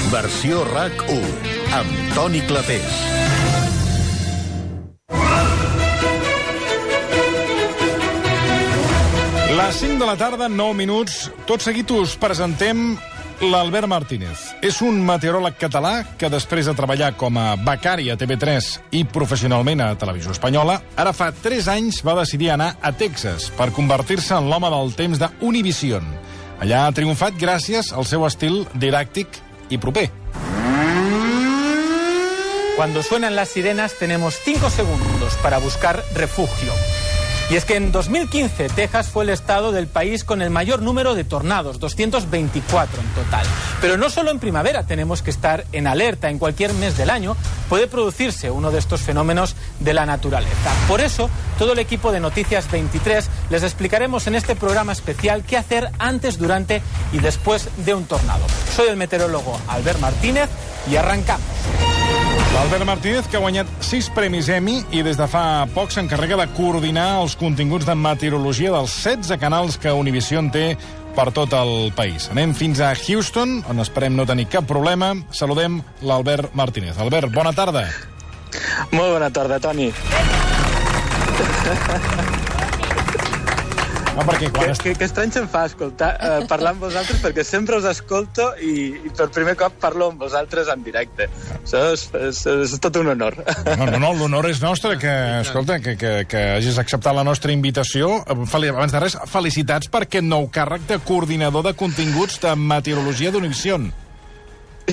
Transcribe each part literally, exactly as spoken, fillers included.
Versió RAC u, amb Toni Clapés. Les cinc de la tarda, nou minuts. Tot seguit us presentem l'Albert Martínez. És un meteoròleg català que, després de treballar com a becari a T V tres i professionalment a Televisió Espanyola, ara fa tres anys va decidir anar a Texas per convertir-se en l'home del temps de Univision. Allà ha triomfat gràcies al seu estil didàctic i proper. Cuando suenan las sirenas tenemos cinco segundos para buscar refugio. Y es que en dos mil quince Texas fue el estado del país con el mayor número de tornados, doscientos veinticuatro en total. Pero no solo en primavera tenemos que estar en alerta. En cualquier mes del año puede producirse uno de estos fenómenos de la naturaleza. Por eso, todo el equipo de Noticias veintitrés les explicaremos en este programa especial qué hacer antes, durante y después de un tornado. Soy el meteorólogo Albert Martínez y arrancamos. L'Albert Martínez, que ha guanyat sis premis Emmy i des de fa poc s'encarrega de coordinar els continguts de meteorologia dels setze canals que Univision té per tot el país. Anem fins a Houston, on esperem no tenir cap problema. Saludem l'Albert Martínez. Albert, bona tarda. Molt bona tarda, Toni. No, perquè quan... Que, que, que estrany se'm fa escoltar, eh, parlar amb vosaltres, perquè sempre us escolto i, i per primer cop parlo amb vosaltres en directe. Això és, és, és tot un honor. No, no, no, l'honor és nostre, que, escolta, que, que, que hagis acceptat la nostra invitació. Abans de res, felicitats per aquest nou càrrec de coordinador de continguts de meteorologia d'Univision.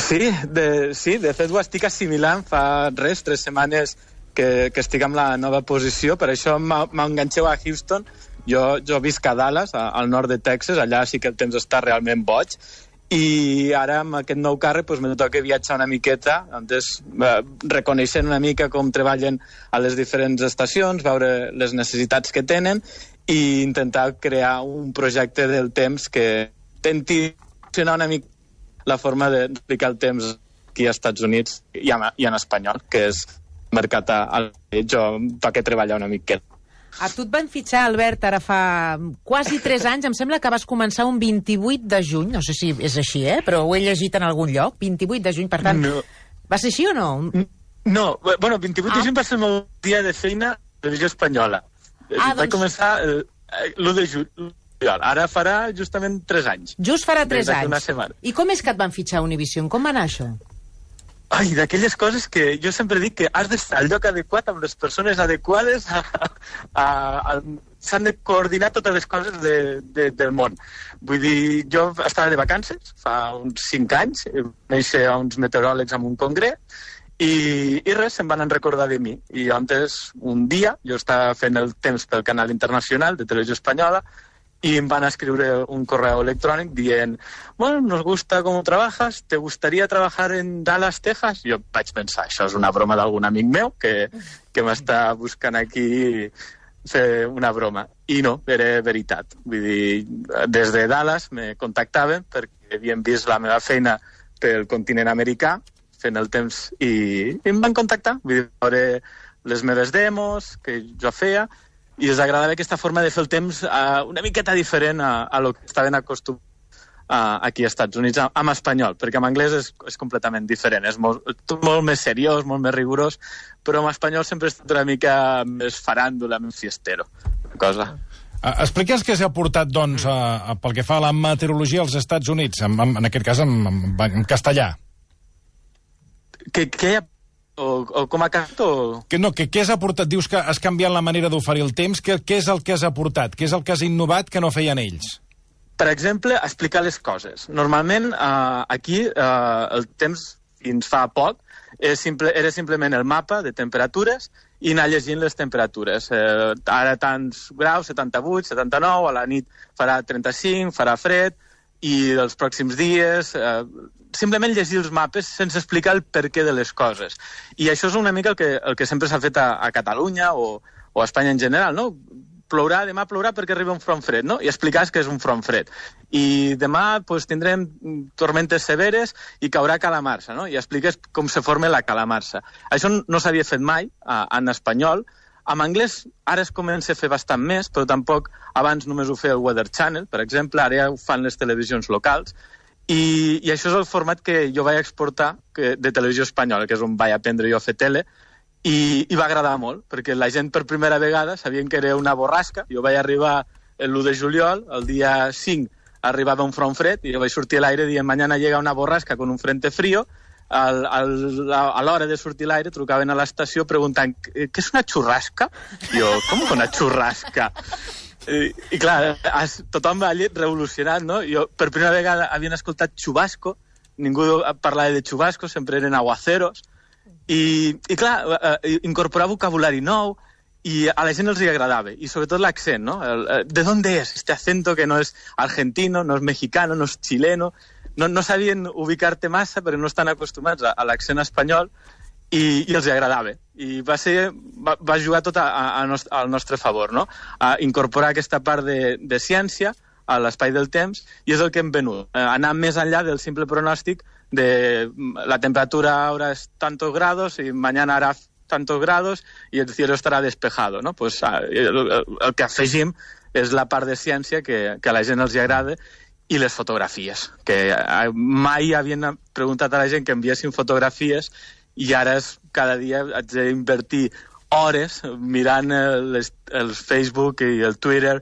Sí, de, sí, de fet ho estic assimilant fa res, tres setmanes que, que estic en la nova posició, per això m'enganxeu a Houston. Jo, jo visc a Dallas, al nord de Texas, allà sí que el temps està realment boig, i ara amb aquest nou càrrec doncs, me toca viatjar una miqueta, antes, eh, reconeixent una mica com treballen a les diferents estacions, veure les necessitats que tenen i intentar crear un projecte del temps que intenti funcionar una mica la forma d'explicar el temps aquí als Estats Units i en, i en espanyol, que és mercat a... Jo toca treballar una miqueta. A tu et van fitxar, Albert, ara fa quasi tres anys. Em sembla que vas començar un vint-i-vuit de juny. No sé si és així, eh? Però ho he llegit en algun lloc. vint-i-vuit de juny, per tant... No. Va ser així o no? No, bueno, vint-i-vuit ah. de juny va ser el meu dia de feina a Televisió Espanyola. Ah, Vaig doncs... començar l'u de juny. Ara farà justament tres anys. Just farà tres anys. I com és que et van fitxar a Univision? Com va anar això? Ai, d'aquelles coses que jo sempre dic que has d'estar al lloc adequat amb les persones adequades, a, a, a, s'han de coordinar totes les coses de, de, del món. Vull dir, jo estava de vacances fa uns cinc anys, vaig néixer a uns meteoròlegs en un congrés, i, i res, se'n van recordar de mi. I antes, un dia, jo estava fent el temps pel canal internacional de Televisió Espanyola, y me van a escribir un correo electrónico dient, bueno, nos gusta cómo trabajas, ¿te gustaría trabajar en Dallas, Texas? Jo vaig pensar, això és una broma d'algun amic meu que, que m'està buscant aquí fer una broma. I no, era veritat. Vull dir, des de Dallas me contactaven perquè havien vist la meva feina pel continent americà, fent el temps, i, i em van contactar. Vull dir, veure les meves demos que jo feia, i els agradava aquesta forma de fer el temps uh, una miqueta diferent a, a lo que estaven acostumats uh, aquí als Estats Units, amb espanyol, perquè en anglès és, és completament diferent, és molt, molt més seriós, molt més rigorós, però en espanyol sempre ha estat una mica més faràndula, més fiestero, cosa. Uh, Expliques què s'ha portat, doncs, a, a, pel que fa a la meteorologia als Estats Units, en, en, en aquest cas en, en, en castellà. Què hi ha? O, o com ha cantat? O... Que no, que què has aportat? Dius que has canviat la manera d'oferir el temps. Què, què és el que has aportat? Què és el que has innovat que no feien ells? Per exemple, explicar les coses. Normalment, eh, aquí, eh, el temps, fins fa poc, és simple, era simplement el mapa de temperatures i anar llegint les temperatures. Eh, ara tants graus, setanta-vuit, setanta-nou, a la nit farà trenta-cinc, farà fred, i els pròxims dies... Eh, simplement llegir els mapes sense explicar el perquè de les coses. I això és una mica el que, el que sempre s'ha fet a, a Catalunya o, o a Espanya en general, no? Plourà, demà plourà perquè arriba un front fred, no? I explicar que és un front fred. I demà pues, tindrem tormentes severes i caurà calamarsa, no? I expliques com se forma la calamarsa. Això no s'havia fet mai a, en espanyol. En anglès ara es comença a fer bastant més, però tampoc abans només ho feia el Weather Channel, per exemple, ara ja ho fan les televisions locals. I, i això és el format que jo vaig exportar que, de Televisió Espanyola, que és on vaig aprendre jo a fer tele, i, i va agradar molt, perquè la gent per primera vegada sabien que era una borrasca. Jo vaig arribar l'u de juliol, el dia cinc arribava un front fred, i jo vaig sortir a l'aire dient mañana llega una borrasca con un frente frío. Al, al, a l'hora de sortir a l'aire trucaven a l'estació preguntant què és una xurrasca? Jo, com que una xurrasca? I, i clar, tothom va allí revolucionat, no? Jo per primera vegada havien escoltat xubasco, ningú parlava de xubasco, sempre eren aguaceros, i, i clar, incorporar vocabulari nou, i a la gent els hi agradava, i sobretot l'accent, no? El, ¿de dónde es? Este acento que no és argentino, no és mexicano, no és chileno. No, no sabien ubicar-te massa, però no estan acostumats a, a l'accent espanyol, i, i els hi agradava. I va, ser, va, va jugar tot a, a, a al nostre favor, no? A incorporar aquesta part de, de ciència a l'espai del temps, i és el que hem venut. Eh, anar més enllà del simple pronòstic de la temperatura ahora es tantos grados i mañana hará tantos grados i el cielo estarà despejado, no? Pues, el, el, el que afegim és la part de ciència que, que a la gent els hi agrada, i les fotografies, que mai havien preguntat a la gent que enviessin fotografies, i ara és, cada dia haig d'invertir hores mirant les, el Facebook i el Twitter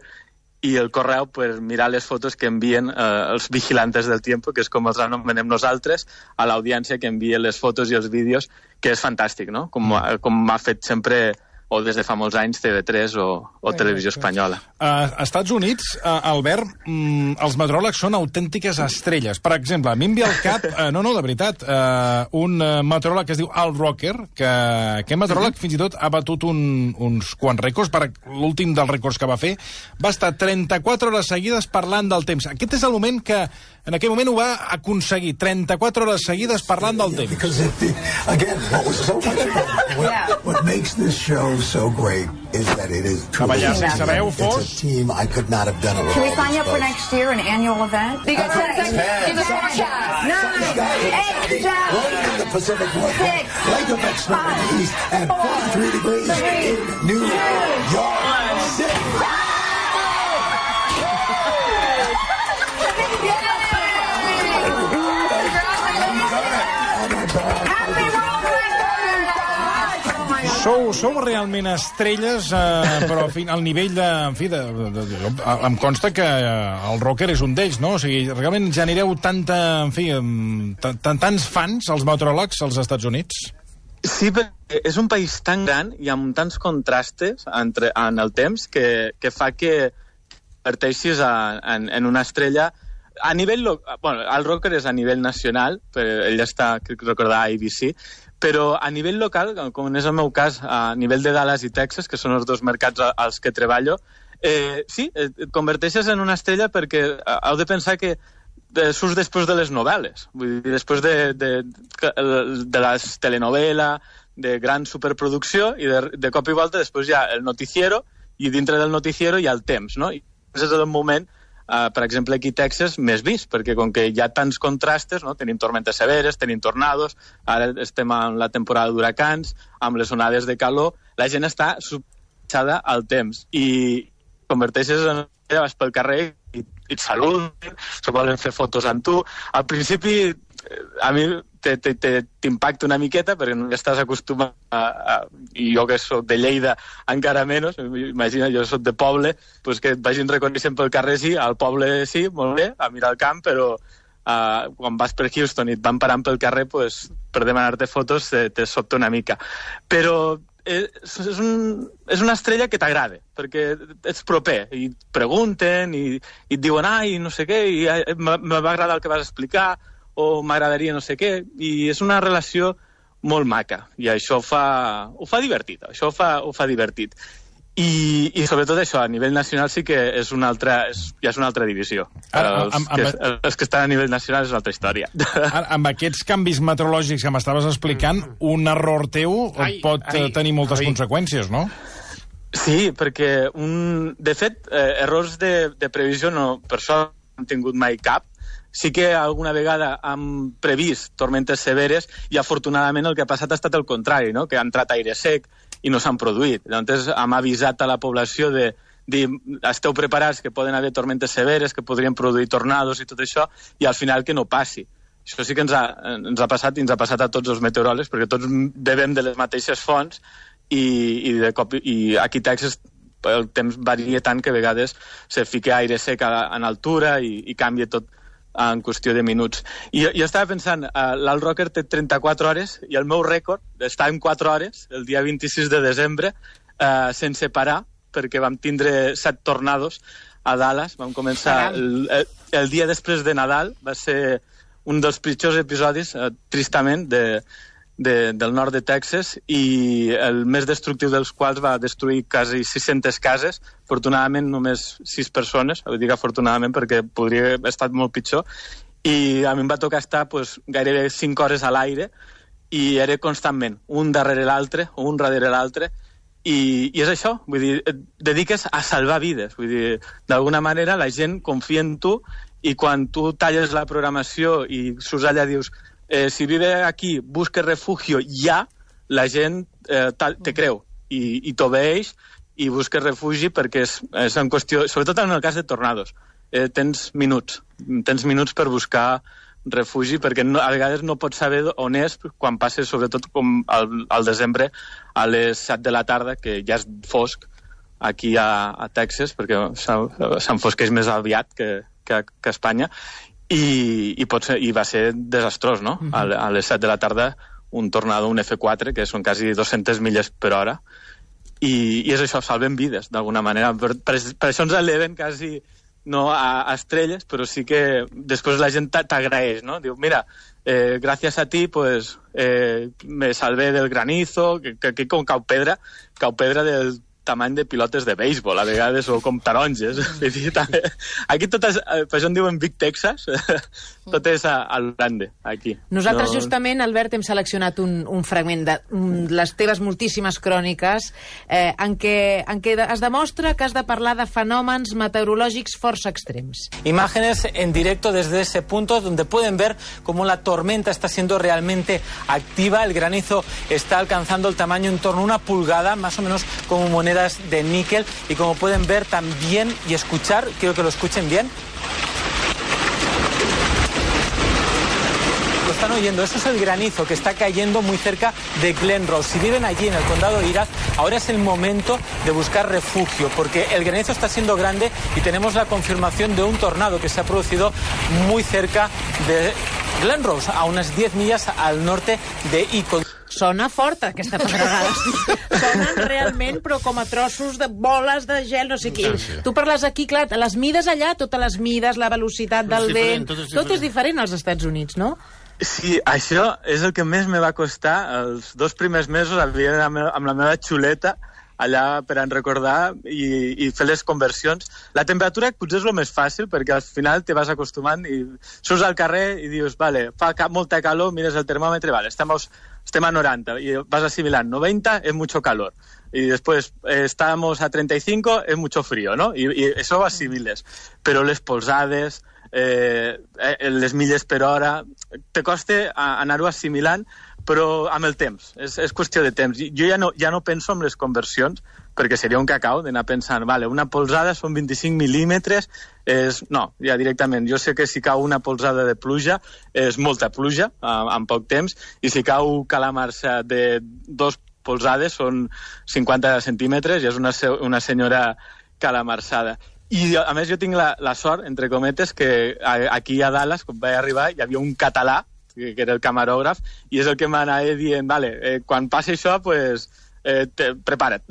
i el correu per mirar les fotos que envien eh, els vigilantes del tiempo, que és com els anomenem nosaltres, a l'audiència que envia les fotos i els vídeos, que és fantàstic, no? Com, com m'ha fet sempre, o des de fa molts anys, T V tres o, o Televisió Espanyola. A Estats Units, uh, Albert, mm, els meteoròlegs són autèntiques estrelles. Per exemple, a mi em ve al cap, uh, no, no, de veritat, uh, un uh, meteoròleg que es diu Al Roker, que aquest meteoròleg fins i tot ha batut un, uns quants rècords. Per l'últim dels rècords que va fer, va estar trenta-quatre hores seguides parlant del temps. Aquest és el moment que, en aquell moment ho va aconseguir, trenta-quatre hores seguides parlant del temps. Because it, again, what was so what, what makes this show so great is that it is truly Cavallars, si sabeu, Fos? it's a team I could not have done alone. Can we sign you up for next year, an annual event? Because Okay. ten seconds. Give us four shots. Nine, eight, One in the Pacific Northwest, Six, Lake effect snow in the five, east, and four, forty-three degrees three, in New York City. Sou, sou realment estrelles, eh, però en fi, al nivell de... En fi, de, de, de, de, em consta que el Rocker és un d'ells, no? O sigui, realment genereu tanta... En fi, tan, tants fans, els meteoròlegs, als Estats Units? Sí, perquè és un país tan gran i amb tants contrastes entre, en el temps que, que fa que converteixis en, en una estrella a nivell... Bueno, el Rocker és a nivell nacional, però ell està, crec recordar, a A B C, però a nivell local, com és el meu cas, a nivell de Dallas i Texas, que són els dos mercats als que treballo, eh, sí, et converteixes en una estrella perquè heu de pensar que surts després de les novel·les, vull dir, després de, de, de les telenovel·la, de gran superproducció, i de, de cop i volta després hi ha el noticiero, i dintre del noticiero hi ha el temps, no? I és el moment, Uh, per exemple, aquí a Texas, més vist, perquè com que hi ha tants contrastes, no? Tenim tormentes severes, tenim tornados, ara estem en la temporada d'huracans, amb les onades de calor, la gent està subjectada al temps, i converteixes en... vas pel carrer i, i et saluden, se volen fer fotos amb tu. Al principi, a mi t'impacta una miqueta, perquè no estàs acostumat a, a... I jo que soc de Lleida, encara menys, imagina, jo soc de poble, pues que et vagin reconeixent pel carrer, sí, al poble sí, molt bé, a mirar el camp, però uh, quan vas per Houston i et van parant pel carrer, pues, per demanar-te fotos te, te sobta una mica. Però és, és, un, és una estrella que t'agrada, perquè ets proper, i et pregunten, i, i et diuen, ai, no sé què, i me va agradar el que vas explicar, o m'agradaria no sé què, i és una relació molt maca, i això fa, ho fa divertit, això ho fa, ho fa divertit. I, i sobretot això, a nivell nacional sí que és una altra, és, ja és una altra divisió. Ara, els, amb, amb, que, els que estan a nivell nacional és una altra història. Ara, amb aquests canvis meteorològics que m'estaves explicant, un error teu ai, pot ai, tenir moltes ai. conseqüències, no? Sí, perquè, un, de fet, eh, errors de, de previsió no, per això no hem tingut mai cap. Sí que alguna vegada han previst tormentes severes i afortunadament el que ha passat ha estat el contrari, no? Que ha entrat aire sec i no s'han produït. Llavors hem avisat a la població de, dir, esteu preparats que poden haver tormentes severes, que podrien produir tornados i tot això, i al final que no passi. Això sí que ens ha, ens ha passat i ens ha passat a tots els meteoròlegs, perquè tots bevem de les mateixes fonts i, i, de cop, i aquí a Texas el temps varia tant que a vegades se fica aire sec en altura i, i canvia tot en qüestió de minuts. I jo estava pensant, uh, l'Alt Rocker té trenta-quatre hores i el meu rècord està en quatre hores, el dia vint-i-sis de desembre, uh, sense parar, perquè vam tindre set tornados a Dallas. Vam començar el, el, el dia després de Nadal, va ser un dels pitjors episodis, uh, tristament, de, de, del nord de Texas, i el més destructiu dels quals va destruir quasi sis-centes cases, afortunadament només sis persones, vull dir que afortunadament perquè podria haver estat molt pitjor, i a mi em va tocar estar pues, gairebé cinc hores a l'aire, i era constantment, un darrere l'altre, un darrere l'altre, i, i és això, vull dir, et dediques a salvar vides, vull dir, d'alguna manera la gent confia en tu, i quan tu talles la programació i surts allà dius eh, si vive aquí, busque refugio ja, la gent eh, te creu i, i t'obeeix i busques refugi perquè és, és en qüestió, sobretot en el cas de tornados, eh, tens minuts, tens minuts per buscar refugi, perquè no, a vegades no pots saber on és quan passes, sobretot com al, al desembre a les set de la tarda, que ja és fosc aquí a, a Texas, perquè s'enfosqueix més aviat que, que, que a Espanya, i, i, pot ser, i va ser desastrós, no? Uh-huh. a, a les set de la tarda un tornado, un F quatre, que són quasi dues-centes milles per hora, i, i és això, salven vides, d'alguna manera. Per, per, per això ens eleven quasi no a, a estrelles, però sí que després la gent t'agraeix, no? Diu, mira, eh, gràcies a ti, pues, eh, me salvé del granizo, que, que aquí com cau pedra, cau pedra del tamany de pilotes de béisbol, a vegades, o com taronges. Aquí tot és, per això en diuen Big Texas, tot és al grande, aquí. Nosaltres no... justament, Albert, hem seleccionat un, un fragment de um, les teves moltíssimes cròniques eh, en, què, en què es demostra que has de parlar de fenòmens meteorològics força extrems. Imágenes en directo desde ese punto donde pueden ver cómo la tormenta está siendo realmente activa. El granizo está alcanzando el tamaño en torno a una pulgada, más o menos como monedas de níquel, y como pueden ver también y escuchar, quiero que lo escuchen bien. Lo están oyendo, eso es el granizo que está cayendo muy cerca de Glen Rose. Si viven allí en el condado de Irath, ahora es el momento de buscar refugio, porque el granizo está siendo grande y tenemos la confirmación de un tornado que se ha producido muy cerca de Glen Rose, a unas diez millas al norte de Icon. Sona fort, aquesta pedregada. Sonen realment, però com a trossos de boles de gel, no sé què. Sí, sí. Tu parles aquí, clar, les mides allà, totes les mides, la velocitat del és vent... Tot és, tot és diferent als Estats Units, no? Sí, això és el que més me va costar. Els dos primers mesos havia d'anar amb la meva xuleta allà per a recordar i, i fer les conversions. La temperatura potser és el més fàcil, perquè al final te vas acostumant i surts al carrer i dius, vale, fa ca molta calor, mires el termòmetre, vale, estem a, estem a noranta, i vas assimilant, noventa es mucho calor, y después eh, estamos a treinta y cinco, es mucho frío, ¿no? Y, y eso ho assimiles. Però les polsades, eh, les milles per hora, te costa anar-ho assimilant, però amb el temps, és, és qüestió de temps. Jo ja no, ja no penso en les conversions, perquè seria un cacau d'anar pensant, vale, una polsada són vint-i-cinc mil·límetres, és... no, ja directament, jo sé que si cau una polsada de pluja és molta pluja, en poc temps, i si cau calamarsa de dos polsades són cinquanta centímetres i és una, una senyora calamarsada. I, a més, jo tinc la, la sort, entre cometes, que aquí a Dallas, quan vaig arribar, hi havia un català, que era el camarògraf, i és el que m'anava dient, vale, eh, quan passi això, pues, eh, te, prepara't,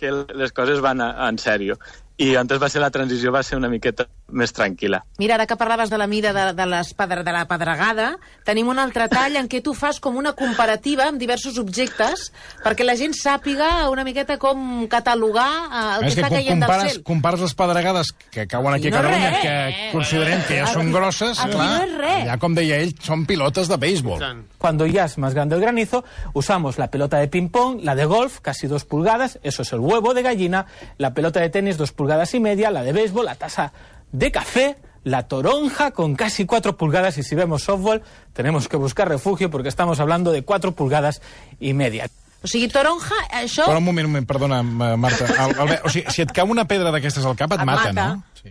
que les coses van a, en sèrio. I antes va ser la transició, va ser una miqueta més tranquil·la. Mira, ara que parlaves de la mida de, de, les pedre, de la pedregada, tenim un altre tall en què tu fas com una comparativa amb diversos objectes perquè la gent sàpiga una miqueta com catalogar el que, que està caient compares, del cel. Compares les pedregades que cauen aquí, aquí a Catalunya, no que considerem que ja són grosses, aquí clar, no és res. Ja, com deia ell, són pilotes de béisbol. Cuando ya es más grande el granizo, usamos la pelota de ping-pong, la de golf, casi dos pulgadas, eso es el huevo de gallina, la pelota de tenis, dos pulgadas y media, la de béisbol, la taza de café, la toronja con casi cuatro pulgadas, y si vemos softball tenemos que buscar refugio porque estamos hablando de cuatro pulgadas y media. O sigui, taronja, això... Però un moment, un moment, perdona, Marta. El, el, o sigui, si et cau una pedra d'aquestes al cap, et, Et mata, mata. no? Sí.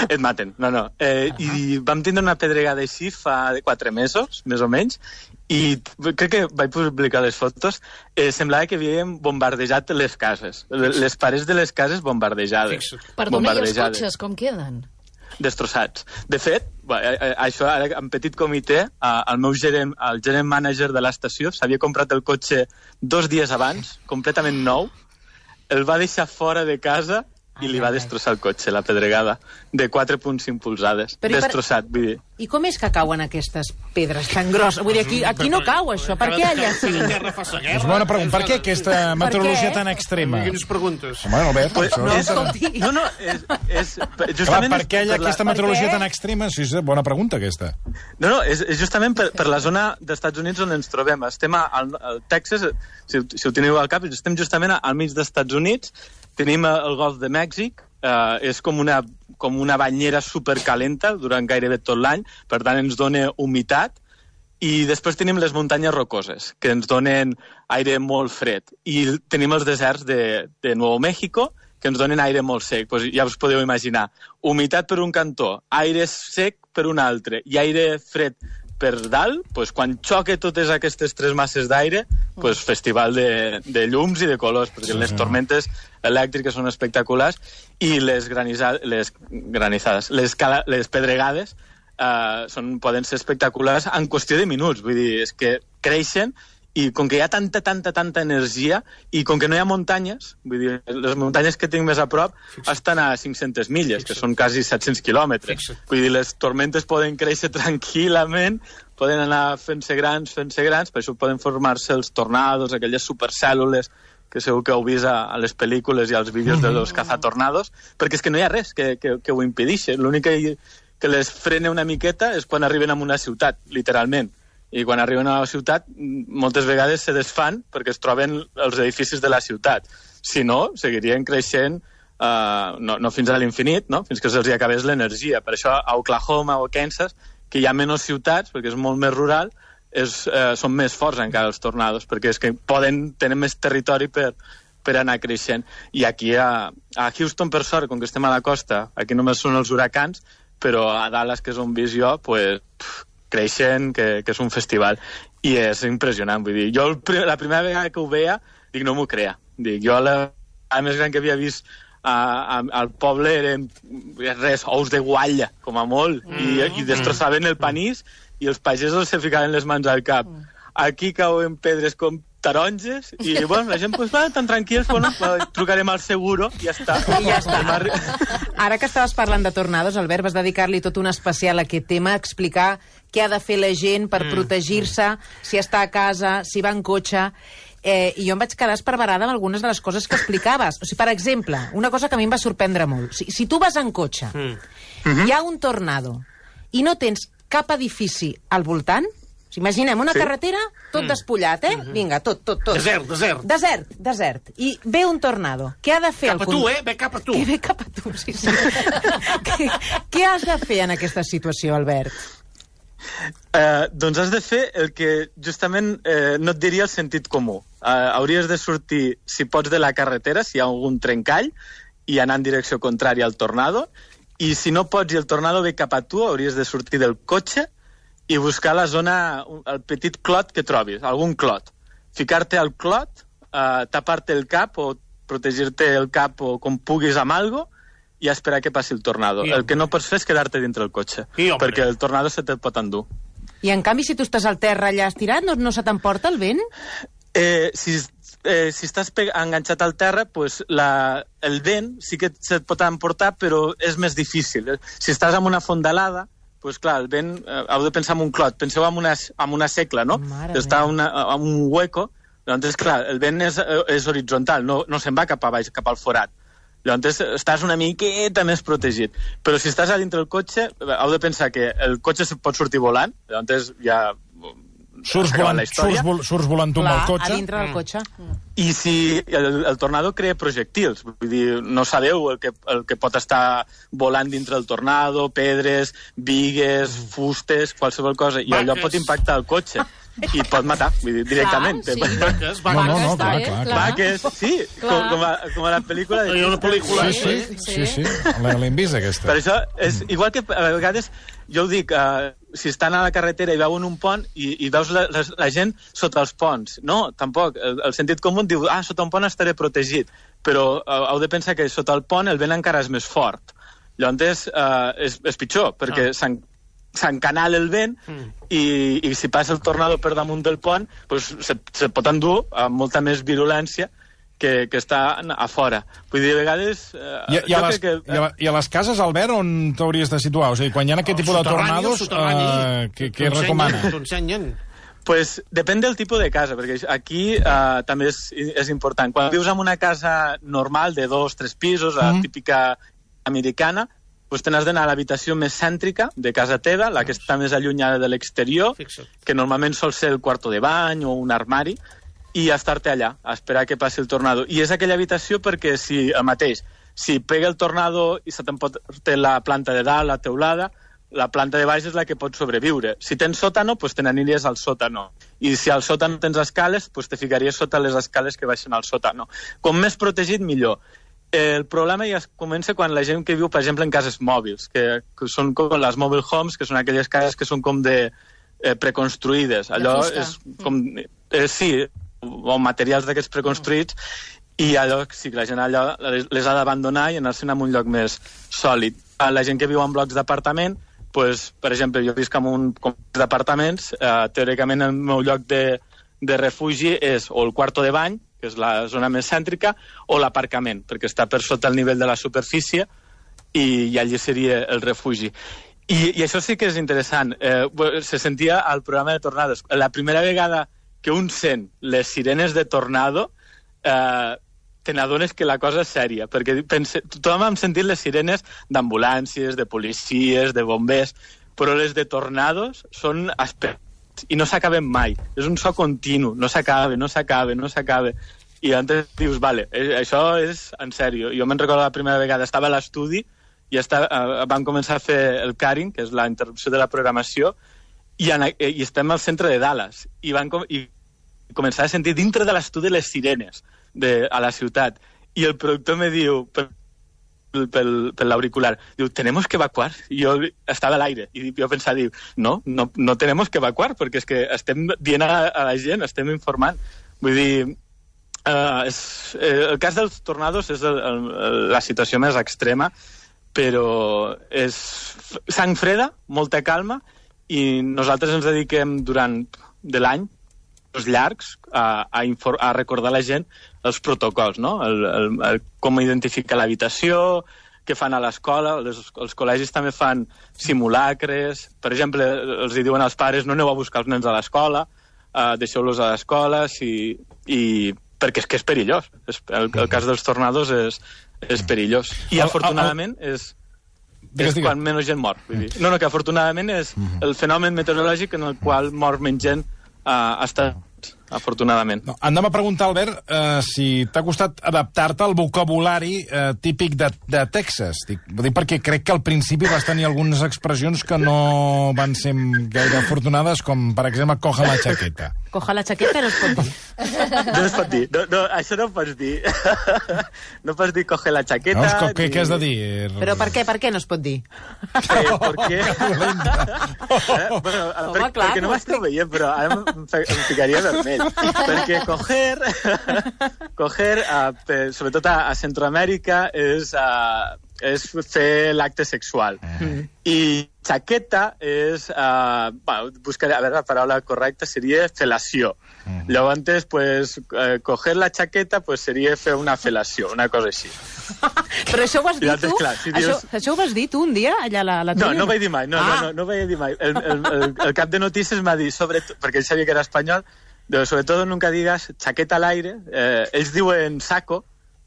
Et maten, no, no. Eh, I vam tindre una pedregada així fa quatre mesos, més o menys, i crec que vaig publicar les fotos, eh, semblava que havíem bombardejat les cases, les parets de les cases bombardejades. Perdona, i els cotxes com queden? Destrossats. De fet, això ara en petit comitè, el meu gerent, el gerent manager de l'estació s'havia comprat el cotxe dos dies abans, completament nou, el va deixar fora de casa i li va destrossar el cotxe, la pedregada, de quatre coma cinc polzades. Però destrossat, vull dir. I com és que cauen aquestes pedres tan grosses? Vull dir, aquí, aquí no cau, això. Per què allà sí? És bona pregunta. Per què aquesta meteorologia tan extrema? Quines preguntes? Home, Albert, Pues, això... no, és- escolti. No, no, és... és Clar, justament per què hi ha per la- aquesta meteorologia tan extrema? Sí, és bona pregunta, aquesta. No, no, és, és justament per, per la zona dels Estats Units on ens trobem. Estem al, al Texas, si, si ho teniu al cap, estem justament al mig dels Estats Units, tenim el Golf de Mèxic, eh, és com una, com una banyera supercalenta durant gairebé tot l'any, per tant ens dona humitat, i després tenim les muntanyes rocoses, que ens donen aire molt fred, i tenim els deserts de, de Nuevo México, que ens donen aire molt sec. Pues ja us podeu imaginar, humitat per un cantó, aire sec per un altre, i aire fred per dalt, pues, quan xoque totes aquestes tres masses d'aire, pues, festival de, de llums i de colors, perquè les tormentes elèctriques són espectaculars, i les, graniza, les granizades, les, cala, les pedregades eh, són, poden ser espectaculars en qüestió de minuts. Vull dir, és que creixen, i com que hi ha tanta, tanta, tanta energia, i com que no hi ha muntanyes, vull dir, les muntanyes que tinc més a prop estan a cinc-centes milles, que són quasi set-cents quilòmetres. Vull dir, les tormentes poden créixer tranquil·lament, poden anar fent-se grans, fent-se grans, per això poden formar-se els tornados, aquelles supercèl·lules que segur que heu vist a, a les pel·lícules i als vídeos de los cazatornados, perquè és que no hi ha res que, que, que ho impedeixi. L'únic que, que les frena una miqueta és quan arriben a una ciutat, literalment. I quan arriben a la ciutat, moltes vegades se desfan perquè es troben els edificis de la ciutat. Si no, seguirien creixent uh, no, no fins a l'infinit, no? Fins que se'ls acabés l'energia. Per això a Oklahoma o Kansas, que hi ha menys ciutats, perquè és molt més rural, és, uh, són més forts encara els tornados, perquè és que poden tenir més territori per, per anar creixent. I aquí a, a Houston, per sort, com que estem a la costa, aquí només són els huracans, però a Dallas, que és on visc jo, pues, pff, creixen, que, que és un festival, i és impressionant. Vull dir, jo el, la primera vegada que ho veia, dic, no m'ho crea. Dic, jo la, la més gran que havia vist a, a, al poble eren res, ous de guatlla, com a molt, mm. i, i destrossaven el panís, i els pagesos se ficaven les mans al cap. Aquí cauen pedres com taronges, i bueno, la gent pues, va tan tranquils, bueno, trucarem al seguro i ja està. I ja està. Ara que estaves parlant de tornados, Albert, vas dedicar-li tot un especial a aquest tema, a explicar què ha de fer la gent per mm. protegir-se, si està a casa, si va en cotxe. Eh, I jo em vaig quedar esparverada amb algunes de les coses que explicaves. O sigui, per exemple, una cosa que a mi em va sorprendre molt. Si, si tu vas en cotxe, mm. hi ha un tornado, i no tens cap edifici al voltant, imaginem una sí. carretera, tot mm. despullat, eh? Mm-hmm. Vinga, tot, tot, tot. Desert, desert. Desert, desert. I ve un tornado. Què ha de fer? Cap a el tu, eh? Ve cap a tu. Que ve cap a tu, sí, sí. què, què has de fer en aquesta situació, Albert? Eh, doncs has de fer el que justament eh, no et diria el sentit comú. Eh, hauries de sortir, si pots, de la carretera, si hi ha algun trencall, i anar en direcció contrària al tornado, i si no pots i el tornado ve cap a tu, hauries de sortir del cotxe i buscar la zona, el petit clot que trobis, algun clot. Ficar-te al clot, eh, tapar-te el cap o protegir-te el cap o com puguis amb algo i esperar que passi el tornado. I, el que no pots fer és quedar-te dintre el cotxe, I, perquè el tornado se te'l pot endur. I en canvi, si tu estàs al terra allà estirat, no, no se t'emporta el vent? Eh, si, eh, si estàs enganxat al terra, pues la, el vent sí que se't pot emportar, però és més difícil. Si estàs en una fondalada, pues clar, el vent, eh, heu de pensar en un clot. Penseu en una, en una secla, no? Està en un hueco, llavors, clar, el vent és, és horitzontal, no, no se'n va cap a baix, cap al forat. Llavors, estàs una miqueta més protegit. Però si estàs a dintre del cotxe, heu de pensar que el cotxe pot sortir volant, llavors ja... Surts volant, surts, vol, surts volant tu amb el cotxe. A dintre del cotxe. Mm. I si el, el tornado crea projectils, vull dir, no sabeu el que, el que pot estar volant dintre del tornado, pedres, bigues, fustes, qualsevol cosa, i allò pot impactar el cotxe. i et pot matar, vull dir, directament. Clar, sí. Vaques, No, no, no, Vaques, clar, eh? clar, clar. Vaques, sí, com, Clar. com, a, com a la pel·lícula... De... Hi ha una pel·lícula... Sí, sí, sí, sí. L'hem vist, aquesta. Per això, és igual que a vegades, jo ho dic, uh, si estan a la carretera i veuen un pont i, i veus la, la, la gent sota els ponts. No, tampoc. El, el sentit comú diu, ah, sota un pont estaré protegit. Però uh, heu de pensar que sota el pont el vent encara és més fort. Llavors uh, és, és pitjor, perquè ah. s'encanala el vent mm. i, i si passa el tornado per damunt del pont, pues, se, se pot endur amb molta més virulència que, que està a fora. Vull dir, a vegades... Eh, I, i, a les, que, i, a, I a les cases, Albert, on t'hauries de situar? O sigui, quan hi ha aquest tipus de tornados, eh, què, què recomana? T'ho ensenyen. Pues depèn del tipus de casa, perquè aquí uh, també és, és important. Quan vius en una casa normal de dos, tres pisos, la mm. típica americana, pues te n'has d'anar a l'habitació més cèntrica de casa teva, la que està més allunyada de l'exterior, que normalment sol ser el quarto de bany o un armari, i estar-te allà, a esperar que passi el tornado. I és aquella habitació perquè si el mateix, si pega el tornado i se t'emporta la planta de dalt, la teulada, la planta de baix és la que pot sobreviure. Si tens sòtano, pues te n'aniries al sòtano. I si al sòtano tens escales, pues te ficaries sota les escales que baixen al sòtano. Com més protegit, millor. El problema ja comença quan la gent que viu, per exemple, en cases mòbils, que, que són com les mobile homes, que són aquelles cases que són com de eh, preconstruïdes. Allò és com... Eh, sí, o materials d'aquests preconstruïts, i allò, sí, la gent allò les, les ha d'abandonar i anar-se'n a un lloc més sòlid. La gent que viu en blocs d'apartament, pues, per exemple, jo visc en un complex d'apartaments, eh, teòricament el meu lloc de, de refugi és o el quarto de bany, que és la zona més cèntrica, o l'aparcament, perquè està per sota el nivell de la superfície i, i allí seria el refugi. I, i això sí que és interessant. Eh, se sentia al programa de tornados. La primera vegada que un sent les sirenes de tornado, eh, te n'adones que la cosa és sèria, perquè pense, tothom hem sentit les sirenes d'ambulàncies, de policies, de bombers, però les de tornados són aspectes i no s'acaben mai. És un so continu, no s'acaba, no s'acaba, no s'acaba. I antes dius, vale, això és en sèrio. Jo me'n recordo la primera vegada, estava a l'estudi i estava, eh, vam començar a fer el carring, que és la interrupció de la programació, I, en, i estem al centre de Dallas i van com, i començar a sentir dintre de l'estudi les sirenes de, a la ciutat i el productor me diu per, pel, per l'auricular, diu, tenemos que evacuar, i jo estava a l'aire i jo pensava, diu, no, no, no tenemos que evacuar perquè és que estem dient a, a la gent, estem informant, vull dir uh, és, eh, el cas dels tornados és el, el, la situació més extrema, però és sang freda, molta calma, i nosaltres ens dediquem durant de l'any, els llargs, a, a, infor- a recordar a la gent els protocols, no? El, el, el, com identificar l'habitació, què fan a l'escola, els, els col·legis també fan simulacres, per exemple, els hi diuen als pares no aneu a buscar els nens a l'escola, uh, deixeu-los a l'escola, si, i, perquè és que és perillós. És, el, el cas dels tornados és, és perillós. I afortunadament és... Digues, és digues. quan menys gent mor. Vull dir. No, no, que afortunadament és el fenomen meteorològic en el qual mor menys gent uh, està afortunadament. No, anem a preguntar, Albert, eh, si t'ha costat adaptar-te al vocabulari eh, típic de, de Texas. Dic, vull dir, perquè crec que al principi vas tenir algunes expressions que no van ser gaire afortunades, com, per exemple, coja la chaqueta. Coja la chaqueta no es pot dir. No es pot dir. No, no, això no ho pots dir. No pots dir coge la chaqueta... No, co- què, ni... què has de dir? Però per què? Per què no es pot dir? Eh, per què? eh, bueno, Home, per, clar, perquè no no m'esteu veient, però ara em, em ficaria vermell. Perquè coger, coger uh, per, sobretot a, a Centroamèrica, és, uh, és fer l'acte sexual. Mm. I chaqueta és... Uh, bueno, buscaré, a veure, la paraula correcta seria felació. Mm. Llavors, pues, uh, coger la chaqueta pues, seria fer una felació, una cosa així. Però això ho has dit tu? Clar, si dius... això, això ho vas dir tu un dia, allà a la, la No, no ho vaig dir mai, no, ah. no, no, no ho vaig dir mai. El, el, el, el cap de notícies m'ha dit, sobretot, perquè ell sabia que era espanyol, de, sobretot nunca digas chaqueta al aire. Eh, ells diuen saco,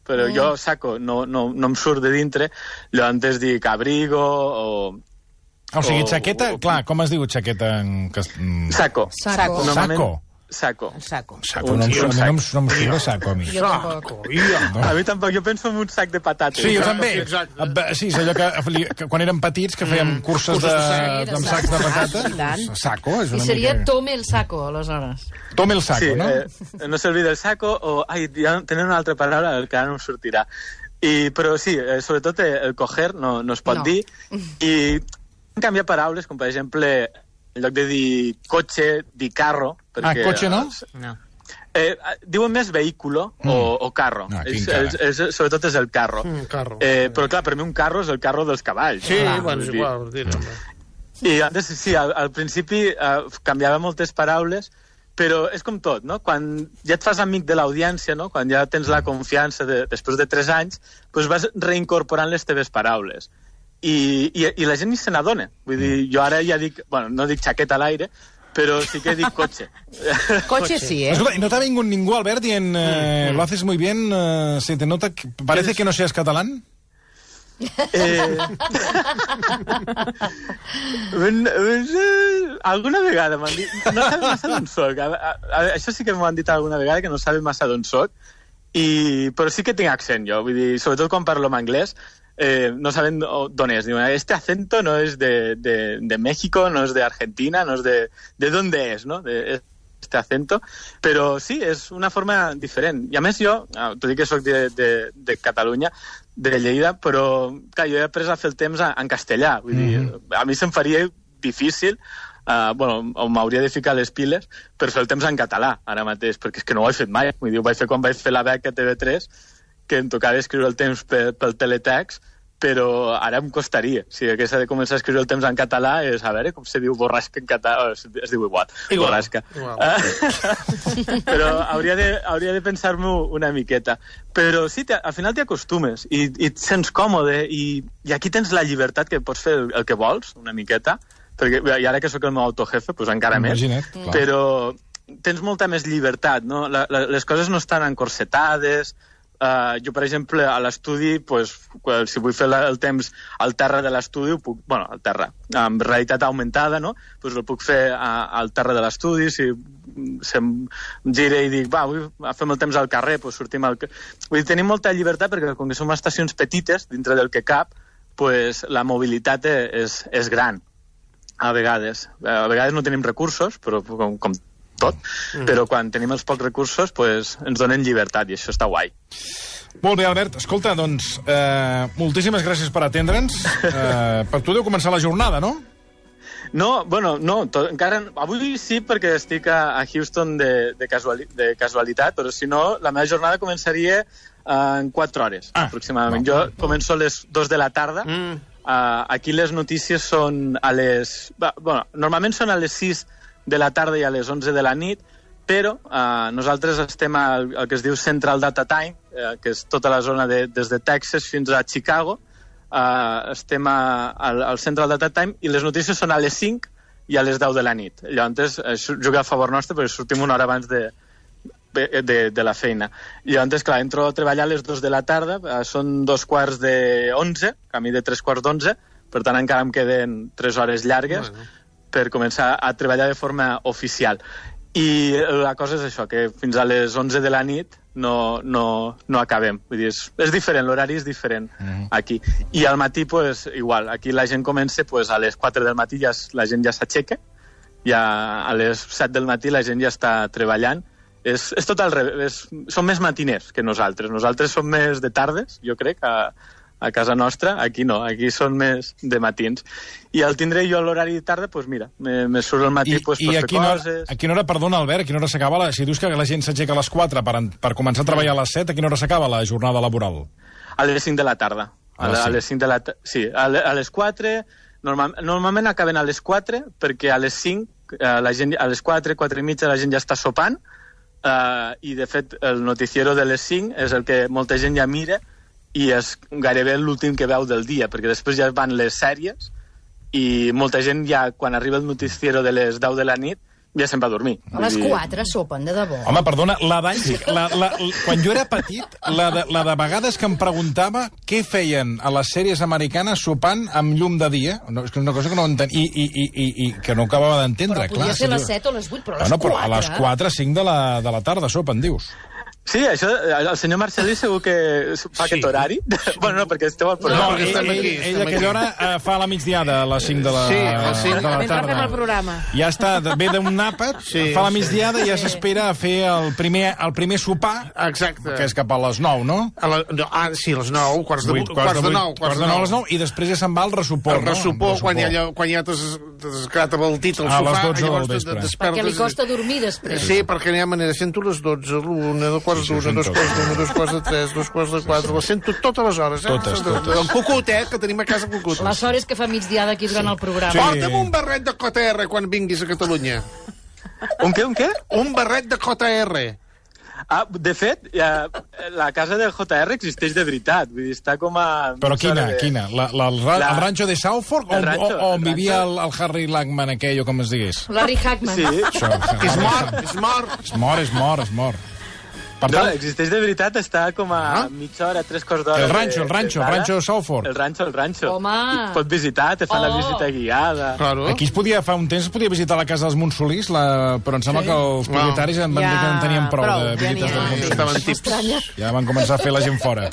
però mm. jo saco no, no, no em surt de dintre. Llavors dic abrigo o... O sigui, o, chaqueta, o, clar, com es diu chaqueta en... Saco. Saco. Normalment, Saco. saco. El saco. Saco, no, no, no, no em surt saco, a mi. Jo tampoc. No. A mi tampoc, jo penso en un sac de patates. Sí, jo també. Sí, és allò que, que quan érem petits, que fèiem curses de, de, amb sacs de patates. Saco, és una I seria mica... tome el saco, aleshores. Tome el saco, sí, no? Eh, no s'olvida el saco, o... Ai, ja tenen una altra paraula que ara no em sortirà. I, però sí, eh, sobretot el coger no, no es pot no. dir. I canviar paraules, com per exemple... en lloc de dir cotxe, dir carro... Perquè, ah, cotxe no? No. Eh, diuen més vehículo mm. o, o carro. Ah, és, és, és, sobretot és el carro. Mm, carro. Eh, però clar, per mi un carro és el carro dels cavalls. Sí, clar, bueno, és igual. Dir, I antes, sí, al, al principi eh, canviava moltes paraules, però és com tot, no? Quan ja et fas amic de l'audiència, no? Quan ja tens la confiança de, després de tres anys, doncs vas reincorporant les teves paraules. I, i, i la gent ni se n'adona. Vull dir, jo ara ja dic, bueno, no dic xaqueta a l'aire, però sí que dic cotxe. Cotxe sí, eh? Escolta, ¿no te ha venido ningún Albert dient eh, lo haces muy bien, eh, se te nota, que parece que no seas catalán? Eh... un, un, alguna vegada m'han dit... No sabe massa d'on soc. A, a, a, això sí que m'ho han dit alguna vegada, que no sabe massa d'on soc, i, però sí que tinc accent, jo. Vull dir, sobretot quan parlo en anglès, eh, no saben d'on és. Diuen, este acento no és de, de, de México, no és de Argentina, no és de... ¿De dónde és, no? De, este acento, però sí, és una forma diferent. I a més jo, t'ho dic que soc de, de, de Catalunya, de Lleida, però clar, jo he après a fer el temps en castellà. Vull dir, mm-hmm. a mi se'm faria difícil, uh, bueno, o m'hauria de ficar les piles per fer el temps en català ara mateix, perquè és que no ho he fet mai. Vull dir, ho vaig fer quan vaig fer la beca a T V tres, que em tocava escriure el temps pel, pel teletext, però ara em costaria. Si hagués de començar a escriure el temps en català, és, a veure, com se diu borrasca en català? Es, es diu igual, igual. borrasca. Igual. Però hauria de, hauria de pensar-m'ho una miqueta. Però sí, al final t'hi acostumes i, i et sents còmode i, i aquí tens la llibertat que pots fer el, el que vols, una miqueta, perquè i ara que sóc el meu autojefe, doncs encara Imagina't, més. clar. Però tens molta més llibertat, no? La, la, les coses no estan encorsetades. Uh, jo, per exemple, a l'estudi, pues, si vull fer la, el temps al terra de l'estudi, puc, bueno, al terra, amb realitat augmentada, no? Pues el puc fer a, al terra de l'estudi, si, si em gire i dic, va, vull, fem el temps al carrer, pues sortim al... Vull dir, tenim molta llibertat perquè, com que som estacions petites, dintre del que cap, pues, la mobilitat és, és gran, a vegades. A vegades no tenim recursos, però com, com tot, mm. però quan tenim els pocs recursos pues, ens donen llibertat i això està guai. Molt bé, Albert. Escolta, doncs, eh, moltíssimes gràcies per atendre'ns. Eh, per tu deu començar la jornada, no? No, bueno, no, tot, encara... Avui sí, perquè estic a, a Houston de, de, casuali, de casualitat, però si no, la meva jornada començaria eh, en quatre hores, ah, aproximadament. No. Jo començo a les dos de la tarda. Mm. Uh, aquí les notícies són a les... Bueno, normalment són a les sis de la tarda i a les onze de la nit, però eh, nosaltres estem al, al que es diu Central Data Time, eh, que és tota la zona de, des de Texas fins a Chicago. Eh, estem a, al, al Central Data Time i les notícies són a les cinc i a les deu de la nit. Llavors, eh, juga a favor nostre perquè sortim una hora abans de, de, de, de la feina. I llavors, clar, entro a treballar a les dues de la tarda, eh, són dos quarts de onze, camí de tres quarts d'onze, per tant encara em queden tres hores llargues, bueno, per començar a treballar de forma oficial. I la cosa és això, que fins a les onze de la nit no, no, no acabem. Vull dir, és, és diferent, l'horari és diferent mm. aquí. I al matí, pues, igual, aquí la gent comença pues, a les quatre del matí, ja, la gent ja s'aixeca, ja a les set del matí la gent ja està treballant. És, és tot al revés, són més matiners que nosaltres. Nosaltres som més de tardes, jo crec, a, a casa nostra, aquí no, aquí són més de matins. I al tindré jo l'horari de tarda, doncs mira, me, me surt al matí I, pues, i per fer fer hora, coses... a quina hora, perdona, Albert, a quina hora s'acaba? La, si dius que la gent s'aixeca a les quatre per, per començar a treballar a les set, a quina hora s'acaba la jornada laboral? A les cinc de la tarda. A, a, a les cinc de la tarda, sí. A, a les quatre, normal, normalment acaben a les quatre, perquè a les cinc, la gent, a les quatre, quatre i mitja, la gent ja està sopant, uh, i de fet el noticiero de les cinc és el que molta gent ja mira, i és gairebé l'últim que veu del dia, perquè després ja van les sèries i molta gent ja, quan arriba el noticiero de les deu de la nit, ja se'n va a dormir. A les quatre sopen, de debò. Home, perdona, la d'anys... La, la, quan jo era petit, la de, la de vegades que em preguntava què feien a les sèries americanes sopant amb llum de dia. No, és que és una cosa que no entenc... I, i, i, i, i que no acabava d'entendre, clar. Però podia ser a les set o a les vuit, però a les bueno, quatre... Però a les quatre, cinc de la, de la tarda sopen, dius. Sí, això, el senyor Marcelí segur que fa sí. aquest horari. bueno, no, perquè esteu al programa. No, ell, ell, ell, ell a aquella hora uh, fa la migdiada, a les cinc de la, sí, sí. de la tarda. Fem el programa. Ja està, ve d'un àpat, sí, fa la migdiada i ja s'espera a fer el primer, el primer sopar, exacte, que és cap a les nou, no? A la, no ah, sí, a les nou, quarts de, vuit, quarts de nou. Quarts de nou a les nou, i després ja se'n va al ressupor, el ressupor, no? Quan ja, quan ja t'has quedat abaltit al sofà, a les dotze del vespre. Perquè li costa dormir després. Sí, perquè n'hi ha manera, sento les dotze, l'una, dos quarts d'una, dos quarts d'una, dos quarts de tres, dos quarts de quatre, les sento totes les hores, eh? Totes, totes. El cucut, eh, que tenim a casa cucut. La sort és que fa migdiada aquí durant el programa. Sí. Porta'm un barret de J R quan vinguis a Catalunya. Un què, un què? Un barret de J R. Ah, de fet, ja, la casa del J R existeix de veritat. Vull dir, està com a... Però quina, de... quina? La, la, el, ra la... el ranxo de Southfork? O, rancho, o, o on vivia el, el Harry Lagman aquell, o com es digués? Larry Hackman. Sí. Això, és mort, és mort. És mort, és mort, és mort. Per tant, no, existeix de veritat, està com a ah? mitja hora, tres quarts d'hora... El ranxo, el ranxo, el ranxo de Southfork. El ranxo, el ranxo. Home! I pot visitar, te fan oh. la visita guiada. Claro. Aquí es podia, fa un temps, es podia visitar la casa dels Montsolís, la... però em sembla sí. que els propietaris wow. em van ja... dir que en tenien prou, prou de visites ja dels Montsolís. Ja van començar a fer la gent fora.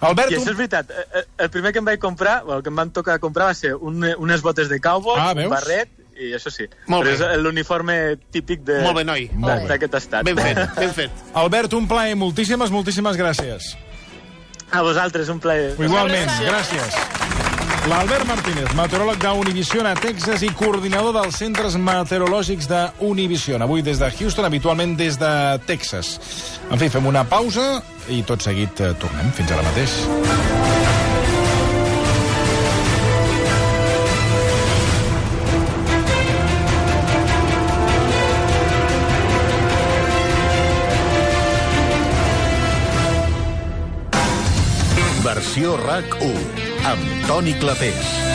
Albert, I això és veritat. El primer que em vaig comprar, o el que em van tocar comprar va ser un, unes botes de cowboy, ah, un barret, i això sí. Molt però bé. És l'uniforme típic de... Molt bé, noi. D'aquest estat. Ben fet, ben fet. Albert, un plaer. Moltíssimes, moltíssimes gràcies. A vosaltres, un plaer. Igualment, gràcies. L'Albert Martínez, meteoròleg d'Univision a Texas i coordinador dels centres meteorològics d'Univision. Avui des de Houston, habitualment des de Texas. En fi, fem una pausa i tot seguit tornem. Fins ara mateix. Versió RAC u, amb Toni Clapés.